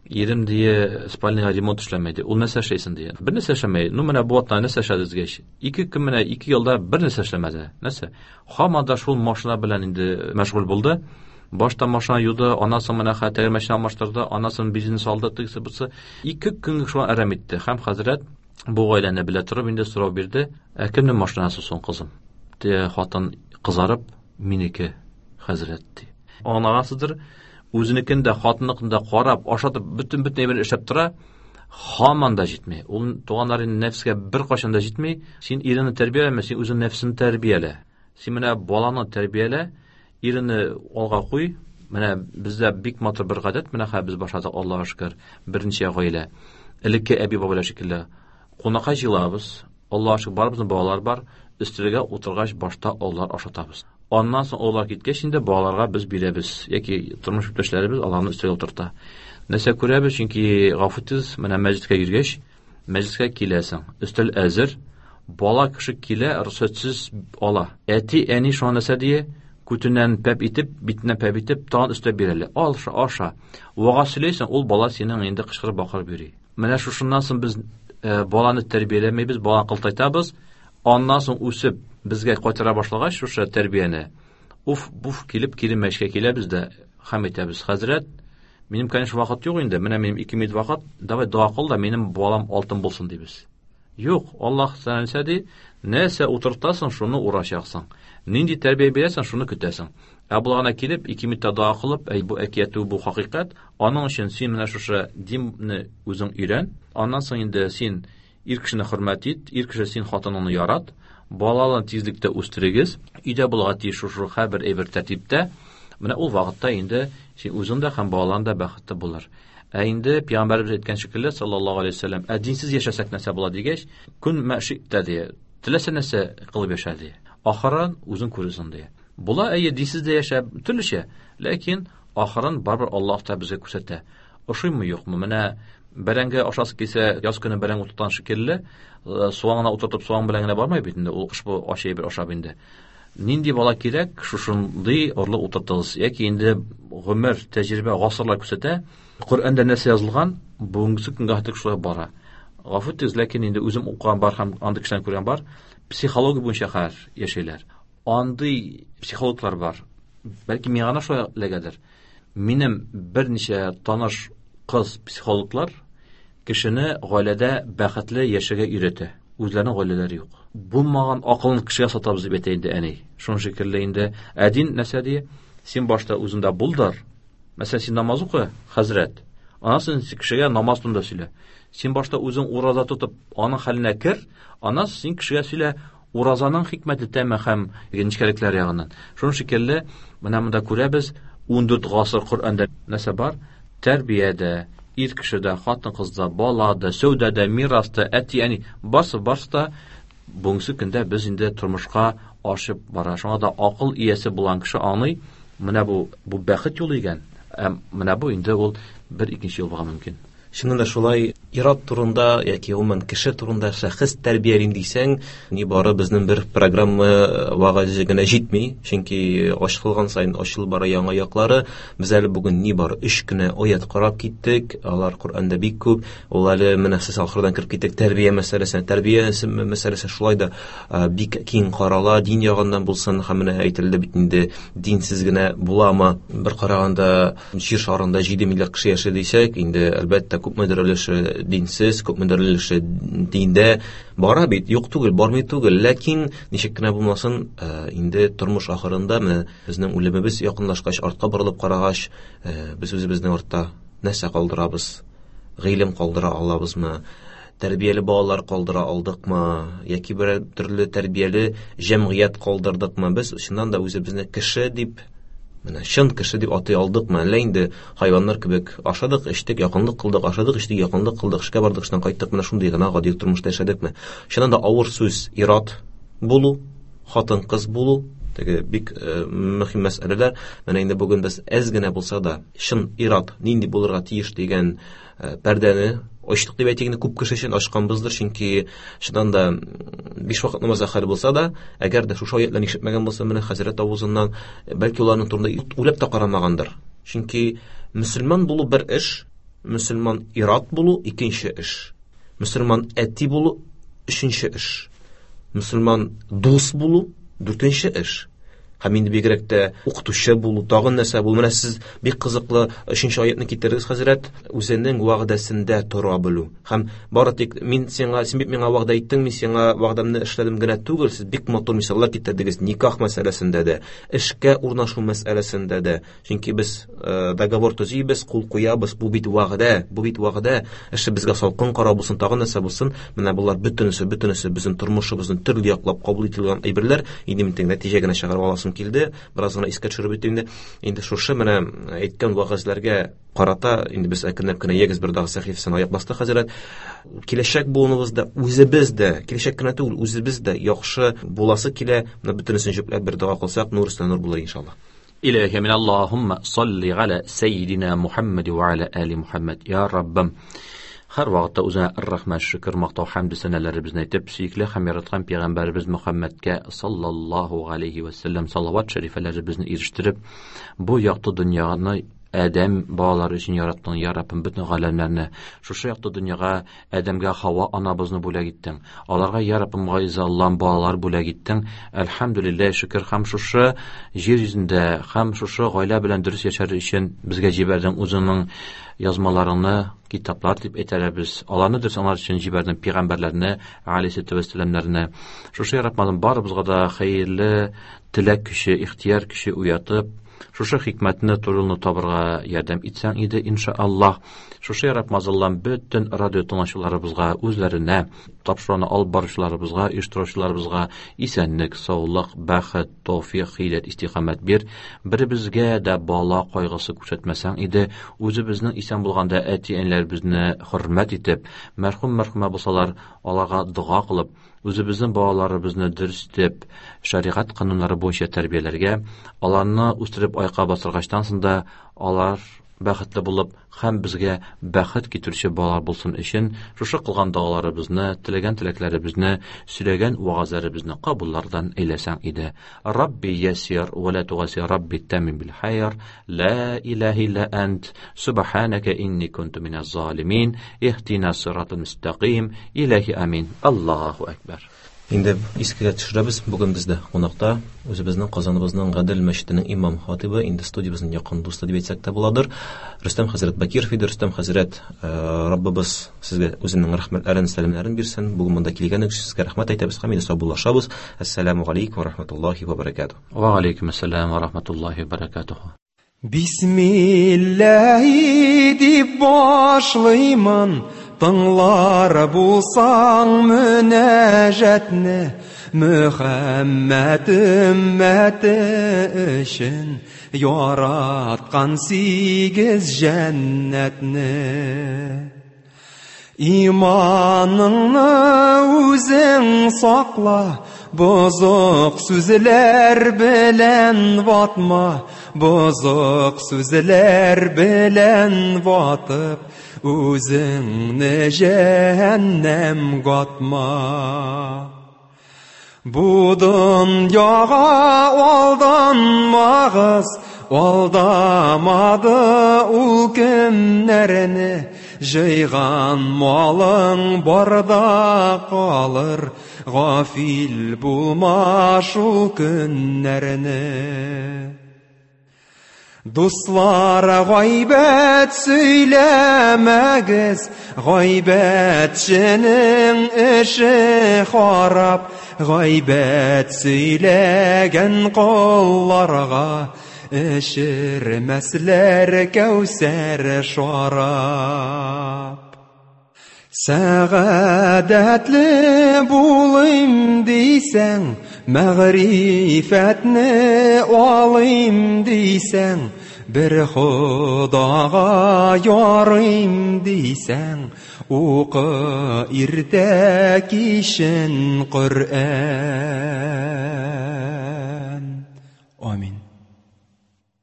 ирем ди спальныйга ремонт эшләмәй ди. Ул нәрсә эшләсен ди? Бер нәрсә эшләмәй. Ну менә бу атна нәрсә эшләдегез? Ике көн менә ике елда бер нәрсә эшләмәде. Нәрсә? Һаман да шул машина белән инде мәшгуль булды. Башта машина юды, аннан соң менә хәтер машина алмаштырды, аннан соң бензин салды, тегесе бусы. Ике көн шуңа әрәм итте. Һәм хәзрәт бу гаиләне белә торып инде сорау бирде. Ә кемнең машинасы соң, кызым? Те хатын кызарып, минеке, хәзрәт ди. Аңлагансыздыр, үзенекен дә, хатынныкын да карап, ашатып, бөтен бөтен әйберен эшләп тора, һаман да җитми. Ул туганнары нәфескә бер кайчан да җитми. Син иреңне тәрбияләмә, син үзең нәфсеңне тәрбиялә. Син менә баланы тәрбиялә, иреңне алга куй. Менә бездә бик матур бер гадәт, менә хәзер без башладык, Аллаһка шөкер, берничә гаилә. Элекке әби-бабайлар шикелле кунакка җыелабыз, Аллаһка шөкер, барыбызның балалар бар, өстәлгә утыргач башта алар ашатабыз. Аннан соң алар киткәч инде балаларга без бирәбез, яки тормыш иптәшләребез аларны өстәлгә утырта. Нәрсә күрәбез? Чөнки гафу итегез, менә мәчеткә йөргәч, мәчеткә киләсең, өстәл әзер, бала кеше килә, рөхсәтсез ала. Әти, әни шуңа нәрсә дие? Күтеннән пәп итеп, битеннән пәп итеп, тагын өстәп бирәләр. Ал, аша, аша. Вага сөйләйсең, ул бала синең инде кычкырып бакырып йөри. Менә шушыннан соң без баланы тәрбияләмәйбез, баланы кылтайтабыз. Аннан соң үсеп безгә кайтара башлагач шушы тәрбияне, уф, буф килеп кире мәчкә киләбез дә һәм әйтәбез: хәзрәт, минем, конечно, вакыт юк инде, менә минем ике минут вакыт, давай дога кыл да минем балам алтын булсын дибез. Юк, Аллаһ нәрсә ди? Нәрсә утыртасың, шуны урачаксың. Нинди тәрбия бирәсең, шуны көтәсең. Ә булгана килеп, ике минутта дога кылып, әй бу әкият, бу хакыйкать, аның өчен син менә шушы динне үзең өйрән. Аннан соң инде син ир кешене хөрмәт ит, ир кеше син хатыныңны ярат, балаларны тизлектә үстерегез, өйдә булырга тиеш шушы һәрбер әйбер тәртиптә. Менә ул вакытта инде син үзең дә һәм балаларың да бәхетле булыр. Ә инде пәйгамбәребез әйткән шикелле саллаллаһу алейһи ва сәлләм, ә динсез яшәсәк нәрсә була дигәч, көн мәшиттә ди, теләсә нәрсә кылып яшә ди. Ахырын үзең күрерсең ди. Була әйе динсез дә яшәп төрлечә, ләкин ахырын барыбер Аллаһ та безгә күрсәтә. Ошыймы юкмы? Менә бәрәңге ашасы килсә, яз көне бәрәңге утырткан шикелле, суган гына утыртып суган белән генә бармый бит инде, ул кыш бу ашый бер ашап инде. Нинди бала кирәк, шушындый орлык утыртыгыз. Яки инде гомер, тәҗрибә, гасырлар күрсәтә, Коръәндә нәрсә язылган, бүгенге көнгә хәтле шулай бара. Гафу итегез, ләкин инде үзем укыган бар һәм андый кешеләрне күргән бар, психология буенча хәзер яшәйләр. Андый психологлар бар. Бәлки миңа гына шулай эләгәдер. Минем берничә таныш кыз психологлар кешене гаиләдә бәхетле яшәргә өйрәтә. Үзләренең гаиләләре юк. Булмаган акылын кешегә сатабыз дип әйтә инде әни. Шуның шикелле инде ә дин нәрсә ди? Син башта үзеңдә булдыр. Мәсәлән, син намаз укы, хәзрәт. Аннан соң кешегә намаз турында сөйлә. Син башта үзең ураза тотып, аның хәленә кер, аннан син кешегә сөйлә уразаның хикмәте, тәме һәм нечкәлекләре ягыннан. Шуның шикелле менә монда күрәбез, ун дүрт гасыр Коръәндә нәрсә бар? Тәрбиядә, ир кешедә, хатын-кызда, балада, сәүдәдә, мираста, әти-әни, барсы барсы да бүгенге көндә без инде тормышка ашып бара. Шуңа да акыл иясе булган кеше аңлый, менә бу бу бәхет юлы икән. Ә менә бу инде ул бер икенче юл булырга мөмкин. Чыннан да шулай ир-ат турында яки гомумән кеше турында шәхес тәрбиялим дисәң, ни бары безнең бер программа вәгазе генә җитми, чөнки ачылган саен ачылып бара яңа яклары. Без әле бүген ни бары өч кенә аят карап киттек, алар Коръәндә бик күп. Ул әле менә сез ахырдан кереп киттек тәрбия мәсьәләсенә. Тәрбия мәсьәләсе шулай да бик киң карала, дин ягыннан булсын, һәм менә әйтелде бит инде, динсез генә буламы? Бер караганда җир шарында җиде миллиард кеше яши дисәк, инде әлбәттә күпмедер өлеше динсез, күпмедер өлеше диндә бара бит, юк түгел, бармый түгел, ләкин ничек кенә булмасын, инде тормыш ахырында менә безнең үлемебез якынлашкач, артка борылып карагач, без үзебезнең артта нәрсә калдырабыз? Гыйлем калдыра алабызмы? Тәрбияле балалар калдыра алдыкмы? Яки бер төрле тәрбияле җәмгыять калдырдыкмы? Без чыннан да үзебезне кеше дип, менә чын кеше дип атый алдыкмы? Әллә инде хайваннар кебек ашадык, эчтек, якынлык кылдык, ашадык, эчтек, якынлык кылдык, эшкә бардык, эштән кайттык, менә шундый гына гади тормышта яшәдекме? Чыннан да авыр сүз ир-ат булу, хатын-кыз булу, теге бик мөһим мәсьәләләр. Менә инде бүген без әз генә булса да чын ир-ат нинди булырга тиеш дигән пәрдәне ачтык дип әйтик инде, күп кеше өчен ачканбыздыр, чөнки чыннан да биш вакыт намаз хәл булса да, әгәр дә шушы аятларны ишетмәгән булса, менә хәзрәт авызыннан бәлки уларның турында уйлап та карамагандыр. Чөнки мөселман булу бер эш, мөселман ир-ат булу икенче эш, мөселман әти булу өченче эш, мөселман дус булу дүртенче эш. Һәм инде бигрәк тә укытучы булу, тагын нәрсә булу. Менә сез бик кызыклы өченче аятны китердегез, хәзрәт, үзенең вәгъдәсендә тора белү. Һәм бары тик мин сиңа, син бит миңа вәгъдә иттең, мин сиңа вәгъдәмне эшләдем генә түгел, сез бик матур мисаллар китердегез никах мәсьәләсендә дә, эшкә урнашу мәсьәләсендә дә. Чөнки без договор төзибез, кул куябыз, бу бит вәгъдә, бу бит вәгъдә. Эше безгә салкын карау булсын, тагын нәрсә булсын, менә болар бөтенесе, бөтенесе безнең тормышыбызны төрле яклап кабул ителгән әйберләр. Инде мин нәтиҗә генә чыгарып аласым килде, бераз гына искә төшереп үтим инде. Инде шушы менә әйткән вәгазьләргә карата инде без әкренләп кенә егез бер дагы сәхифәсен аяк бастык, хәзрәт. Киләчәк буыныбызда үзебез дә, киләчәк кенә түгел, үзебез дә яхшы буласы килә. Менә бөтенесен җөпләп бер дога кылсак, нур өстенә нур булыр иншалла. Илаһи мин Аллаһумма салли аля саййидина Мухаммад ва аля али Мухаммад. Я Раббым, һәр вакытта үзеңә рәхмәт, шөкер, мактау, хәмд сәнәләребезне әйтеп, сөекле һәм яраткан пәйгамбәребез Мөхәммәдкә саллаллаһу алейхи ва саллям салават шәрифәләребезне ирештереп, бу якты дөньяны Адәм балалары өчен яраттың, я Раббым, бөтен галәмнәрне. Шушы якты дөньяга Адәмгә Хава анабызны бүләк иттең. Аларга, я Раббым, газиз Аллам, балалар бүләк иттең. Әлхәмдүлилләһ, шөкер, һәм шушы җир йөзендә, һәм шушы гаилә белән дөрес яшәр өчен безгә җибәрдең үзеңнең язмаларыңны, китаплар дип әйтәбез. Аларны дөрес аңлар өчен җибәрдең пәйгамбәрләрне, алейһиссалату вәссәламнәрне. Шушы я Раббым, барыбызга да хәерле теләк көче, ихтияр көче уятып, шушы хикмәтне, турылны табырга ярдәм итсәң иде, иншааллаһ. Шушы я Раббым, Аллам, бөтен радио тыңлаучыларыбызга, үзләренә, тапшыруны алып баручыларыбызга, оештыручыларыбызга исәнлек, саулык, бәхет, тәүфыйк, хидәят, истиқамәт бир. Беребезгә дә бала кайгысы күрсәтмәсәң иде, үзебезнең исән булганда әти-әниләребезне хөрмәт итеп, мәрхүм-мәрхүмә булсалар, аларга дога кылып, үзебезнең балаларыбызны дөрес итеп, шәригать кануннары буенча тәрбияләргә, аларны үстереп аякка бастыргачтан соң да алар бәхетле булып һәм безгә бәхет китерүче балалар булсын өчен шушы кылган догаларыбызны, теләгән теләкләребезне, сөйләгән вәгазьләребезне кабуллардан әйләсәң иде. Рабби ясир ва ла тугасир, Рабби тамим бил хайр, ла илаһа илля ант, субханака инни кунту миназ залимин, иһдина сиратал мустақим, илаһи амин. Аллаһу акбар. Инде искә төшерәбез, бүген бездә кунакта үзебезнең Казаныбызның Гадел мәчетенең имам хатибы, инде студиябезнең якын дусты дип әйтсәк тә буладыр, Рөстәм хәзрәт Бакиров иде. Рөстәм хәзрәт, Раббыбыз сезгә үзенең рәхмәтләрен, сәламнәрен бирсен. Бүген монда килгәнегез өчен сезгә рәхмәт әйтәбез һәм инде саубуллашабыз. Әссәламү галәйкүм ва рахматуллаһи ва баракатуһ. Ва галәйкүм әссәлам ва рахматуллаһи ва баракатуһ. Бисмилләһи дип башлыймын, тыңлар булсаң мөнәҗәтне, Мөхәммәд өммәте өчен яраткан сигез җәннәтне. Иманыңны үзең сакла, бозык сүзләр белән ватма, бозык сүзләр белән ватып, үзеңне җәһәннәм гатма. Бу дөньяга алданмагыз, алдамады ул кемнәрне, җыйган малың барда калыр, гафил булма шул көннәрне. Дуслар, гайбәт сөйләмәгез, гайбәтченең эше харап, гайбәт сөйләгән колларга эчермәсләр кәүсәр шарап. Сәгадәтле булыйм дисәң, мәгърифәтне алыйм дисәң, бер Худага ярыйм дисәң, укы иртә кичен Коръән. Амин.